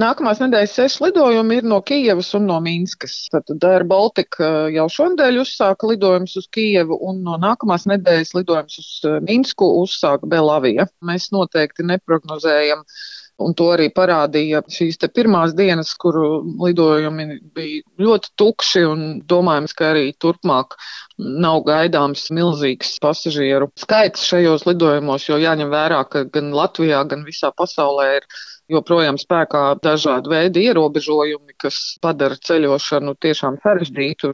Nākamās nedēļas 6 lidojumi ir no Kijevas un no Minskas. Tad Air Baltica jau šonadēļ uzsāka lidojumus uz Kijevu, un no nākamās nedēļas lidojumus uz Minsku uzsāka Belavija. Mēs noteikti neprognozējam, un to arī parādīja šīs te pirmās dienas, kuru lidojumi bija ļoti tukši, un domājams, ka arī turpmāk nav gaidāms milzīgs pasažieru skaits šajos lidojumos, jo jāņem vērā, ka gan Latvijā, gan visā pasaulē ir joprojām spēkā dažādi veidi ierobežojumi, kas padara ceļošanu tiešām sarežģītu.